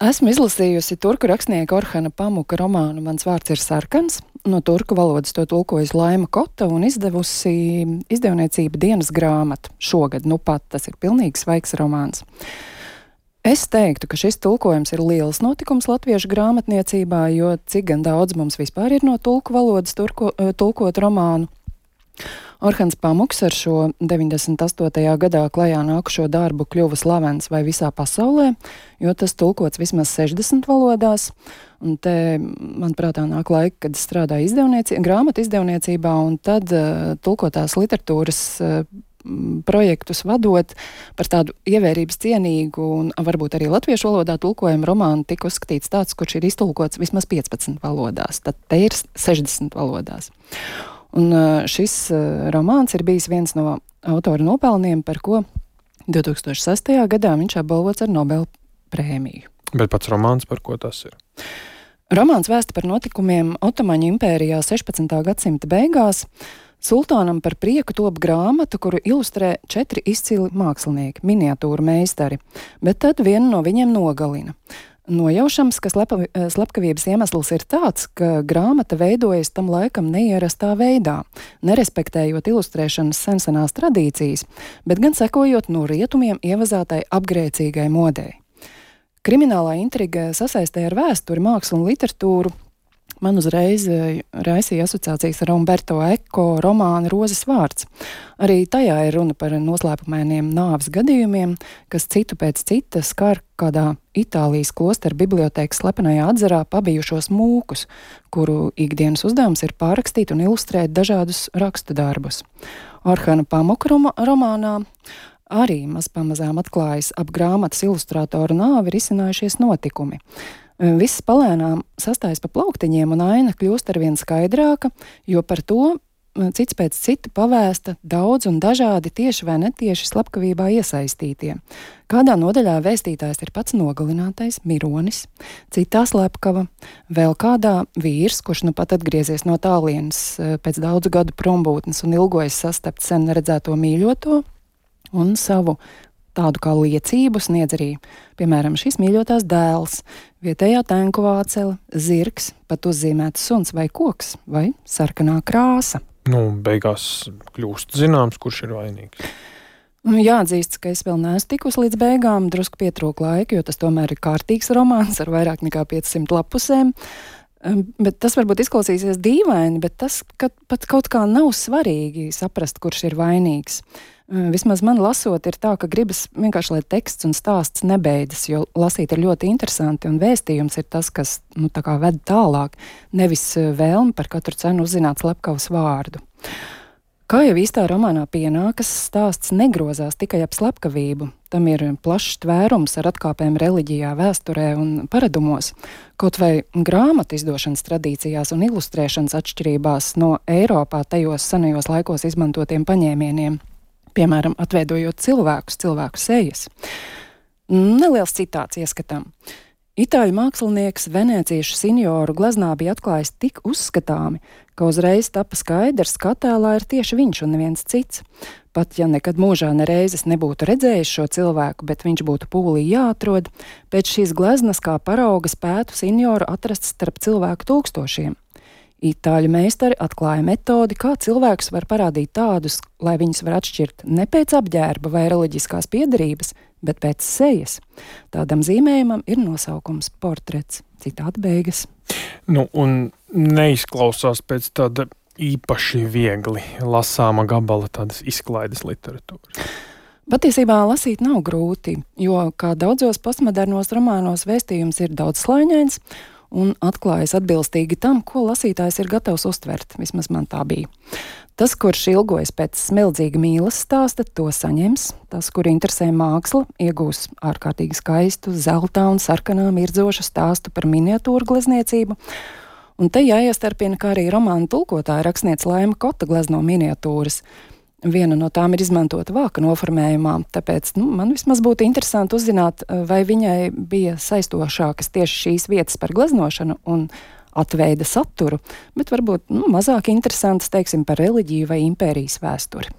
Esmu izlasījusi turku rakstnieka Orhana Pamuka romānu Mans vārds ir sarkans. No turku valodas to tulkojas Laima Kota un izdevusi izdevniecība Dienas grāmata. Šogad, pat tas ir pilnīgi svaigs romāns. Es teiktu, ka šis tulkojums ir liels notikums latviešu grāmatniecībā, jo cik gan daudz mums vispār ir no turku valodas tulkot romānu. Orhans Pamuks ar šo 98. gadā klajā nākušo darbu kļuva slavens vai visā pasaulē, jo tas tulkots vismaz 60 valodās. Un te, manuprāt, nāk laika, kad strādāju grāmatu izdevniecībā, un tad tulkotās literatūras projektus vadot par tādu ievērības cienīgu un varbūt arī latviešu valodā tulkojumu romānu tika uzskatīts tāds, kurš ir iztulkots vismaz 15 valodās. Tad te ir 60 valodās. Un šis romāns ir bijis viens no autora nopelniem, par ko 2006. gadā viņš apbalvots ar Nobela prēmiju. Bet pats romāns par ko tas ir? Romāns vēsta par notikumiem Otomaņu impērijā 16. gadsimta beigās. Sultānam par prieku top grāmata, kuru ilustrē 4 izcili mākslinieki, miniatūru meistari, bet tad vienu no viņiem nogalina. Nojaušams, ka slepkavības iemesls ir tāds, ka grāmata veidojas tam laikam neierastā veidā, nerespektējot ilustrēšanas sensenās tradīcijas, bet gan sekojot no rietumiem ievazātai apgrēcīgai modei. Kriminālā intriga sasaistē ar vēsturi, mākslu un literatūru man uzreiz raisīja asociācijas ar Umberto Eco romānu Rozes vārds. Arī tajā ir runa par noslēpumainiem nāves gadījumiem, kas citu pēc cita skar kādā Itālijas klosteru bibliotēkas slepenajā atzarā pabijušos mūkus, kuru ikdienas uzdevums ir pārrakstīt un ilustrēt dažādus rakstu darbus. Orhana Pamuka romānā arī mazpamazām atklājas ap grāmatas ilustrātoru nāvi risinājušies notikumi. Viss palēnām sastājas pa plauktiņiem un aina kļūst arvien skaidrāka, jo par to cits pēc cita pavēsta daudz un dažādi tieši vai netieši slepkavībā iesaistītie. Kādā nodaļā vēstītājs ir pats nogalinātais Mironis, citā slepkava, vēl kādā vīrs, kurš nu pat atgriezies no tālienes pēc daudzu gadu prombūtnes un ilgojas sastapt sen neredzēto mīļoto, un savu tādu kā liecību sniedz arī, piemēram, šīs mīļotās dēls, vietējā tenku vācele, zirgs, pat uzzīmēts suns vai koks, vai sarkanā krāsa. Beigās kļūst zināms, kurš ir vainīgs. Jāatzīst, ka es vēl neesmu tikusi līdz beigām, drusku pietrūka laika, jo tas tomēr ir kārtīgs romāns ar vairāk nekā 500 lapusēm. Bet tas varbūt izklausīsies dīvaini, bet tas, ka pat kaut kā nav svarīgi saprast, kurš ir vainīgs. Vismaz man lasot ir tā, ka gribas vienkārši, lai teksts un stāsts nebeidzas, jo lasīt ir ļoti interesanti un vēstījums ir tas, kas tā kā ved tālāk, nevis vēlme par katru cenu uzzināt slepkavas vārdu. Kā jau īstā romānā pienākas, stāsts negrozās tikai ap slepkavību. Tam ir plašs tvērums ar atkāpēm reliģijā, vēsturē un paradumos. Kaut vai grāmatu izdošanas tradīcijās un ilustrēšanas atšķirībās no Eiropā tajos senajos laikos izmantotiem paņēmieniem. Piemēram, atveidojot cilvēku sejas. Neliels citāts ieskatām. Itāļu mākslinieks venēciešu sinjoru gleznā bija atklājis tik uzskatāmi, ka uzreiz tapa skaidrs, ka attēlā ir tieši viņš un neviens cits. Pat ja nekad mūžā nereizes nebūtu redzējis šo cilvēku, bet viņš būtu pūlī jāatrod, pēc šīs gleznas kā parauga spētu sinjoru atrast starp cilvēku tūkstošiem. Itāļu meistari atklāja metodi, kā cilvēkus var parādīt tādus, lai viņus var atšķirt ne pēc apģērba vai reliģiskās piederības, bet pēc sejas. Tādam zīmējumam ir nosaukums portrets. Citāta beigas. Un neizklausās pēc tāda īpaši viegli lasāma gabala tādas izklaides literatūras. Patiesībā lasīt nav grūti, jo, kā daudzos postmodernos romānos, vēstījums ir daudzslāņains un atklājas atbilstīgi tam, ko lasītājs ir gatavs uztvert. Vismaz man tā bija. Tas, kurš ilgojas pēc smeldzīga mīlas stāsta, to saņems. Tas, kur interesē māksla, iegūs ārkārtīgi skaistu, zeltā un sarkanā mirdzošu stāstu par miniatūru glezniecību. Un te jāiestarpina, kā arī romānu tulkotāja rakstniece Laima Kota glezno miniatūras. Viena no tām ir izmantota vāka noformējumā, tāpēc man vismaz būtu interesanti uzzināt, vai viņai bija saistošākas tieši šīs vietas par gleznošanu un atveida saturu, bet varbūt mazāk interesants, teiksim, par reliģiju vai impērijas vēsturi.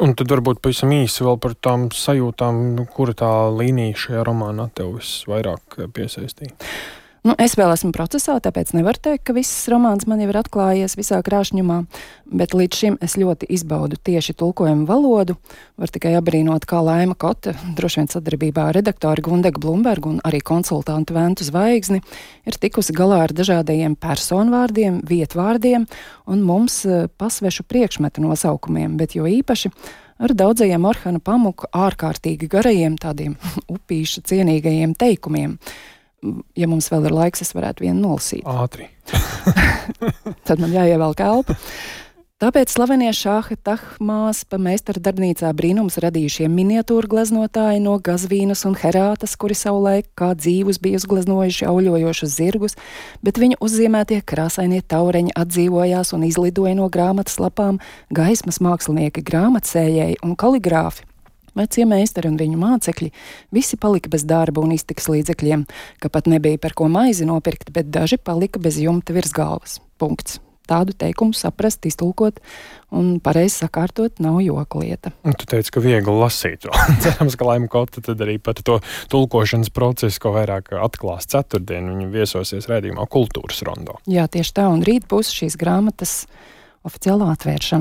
Un tad varbūt pavisam īsi vēl par tām sajūtām, kura tā līnija šajā romānā tev visvairāk piesaistīja? Es vēl esmu procesā, tāpēc nevaru teikt, ka viss romāns man jau ir atklājies visā krāšņumā, bet līdz šim es ļoti izbaudu tieši tulkojumu valodu. Var tikai abrīnot, kā Laima Kote, droši vien sadarbībā ar redaktoru Gundegu Blumbergu un arī konsultantu Ventu Zvaigzni, ir tikusi galā ar dažādajiem personvārdiem, vietvārdiem un mums pasvešu priekšmetu nosaukumiem, bet jo īpaši ar daudzajiem Orhana Pamuka ārkārtīgi garajiem, tādiem upīša cienīgajiem teikumiem. Ja mums vēl ir laiks, es varētu vienu nolasīt. Ātri. Tad man jāievelk elpa. Tāpēc slavenie Šāha Tahmāspa meistara darbnīcā brīnums radījušie miniatūru gleznotāji no Gazvīnas un Herātas, kuri savulaik kā dzīvus bija uzgleznojuši auļojošus zirgus, bet viņu uzzīmētie krāsainie taureņi atdzīvojās un izlidoja no grāmatas lapām gaismas mākslinieki, grāmatsējēji un kaligrāfi. Vecie meistari un viņu mācekļi visi palika bez darba un iztikas līdzekļiem, ka pat nebija par ko maizi nopirkt, bet daži palika bez jumta virs galvas. Punkts. Tādu teikumu saprast, iztulkot un pareizi sakārtot nav joka lieta. Un tu teici, ka viegli lasīt. Cerams, ka Laima Kote tad arī pat to tulkošanas procesu, ko vairāk atklās ceturtdien, viņa viesosies raidījumā Kultūras rondo. Jā, tieši tā, un rīt būs šīs grāmatas oficiālā atvēršana.